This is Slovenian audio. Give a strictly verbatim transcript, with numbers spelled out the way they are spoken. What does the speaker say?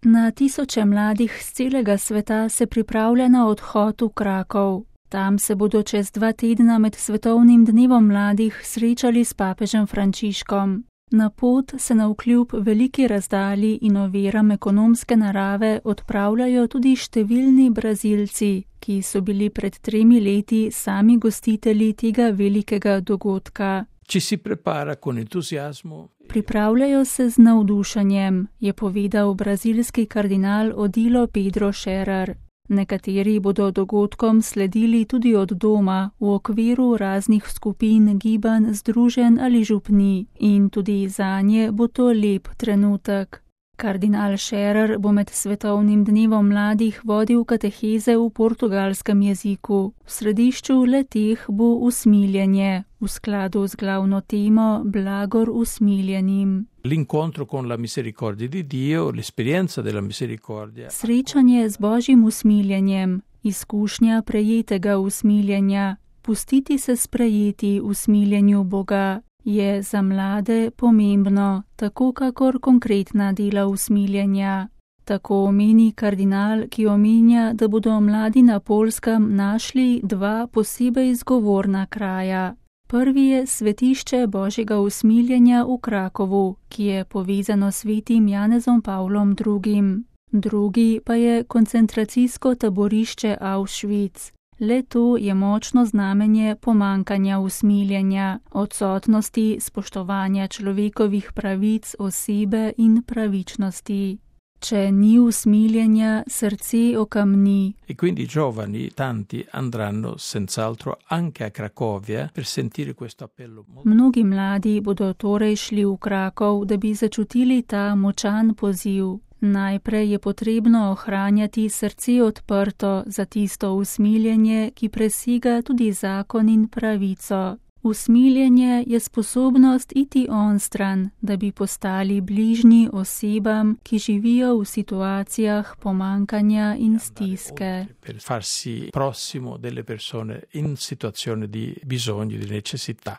Na tisoče mladih z celega sveta se pripravlja na odhod v Krakov. Tam se bodo čez dva tedna med svetovnim dnevom mladih srečali s papežem Frančiškom. Na pot se navkljub veliki razdalji in oviram ekonomske narave odpravljajo tudi številni Brazilci, ki so bili pred tremi leti sami gostitelji tega velikega dogodka. Ci si prepara con entuziasmo. Pripravljajo se z navdušenjem, je povedal brazilski kardinal Odilo Pedro Scherer. Nekateri bodo dogodkom sledili tudi od doma v okviru raznih skupin, gibanj, združenj ali župni in tudi zanje bo to lep trenutek. Kardinal Scherer bo med svetovnim dnevom mladih vodil kateheze v portugalskem jeziku. V središču le-teh bo usmiljenje, v skladu z glavno temo Blagor usmiljenim. L'incontro con la misericordia di Dio, l'esperienza della misericordia. Srečanje z Božjim usmiljenjem, izkušnja prejetega usmiljenja, pustiti se sprejeti usmiljenju Boga, je za mlade pomembno, tako kakor konkretna dela usmiljenja. Tako meni kardinal, ki omenja, da bodo mladi na Poljskem našli dva posebej zgovorna kraja. Prvi je svetišče Božjega usmiljenja v Krakovu, ki je povezano s svetim Janezom Pavlom drugim. Drugi pa je koncentracijsko taborišče Auschwitz. Le to je močno znamenje pomankanja usmiljenja, odsotnosti spoštovanja človekovih pravic, osebe in pravičnosti. Če ni usmiljenja, srce okamni. E quindi i giovani, tanti, andranno senz'altro anche a Cracovia per sentire questo appello. Mnogi mladi bodo torej šli v Krakov, da bi začutili ta močan poziv. Najprej je potrebno ohranjati srce odprto za tisto usmiljenje, ki presega tudi zakon in pravico. Usmiljenje je sposobnost iti onstran, da bi postali bližnji osebam, ki živijo v situacijah pomankanja in stiske. Per farsi prossimo delle persone in situazione di bisogno, di necessità.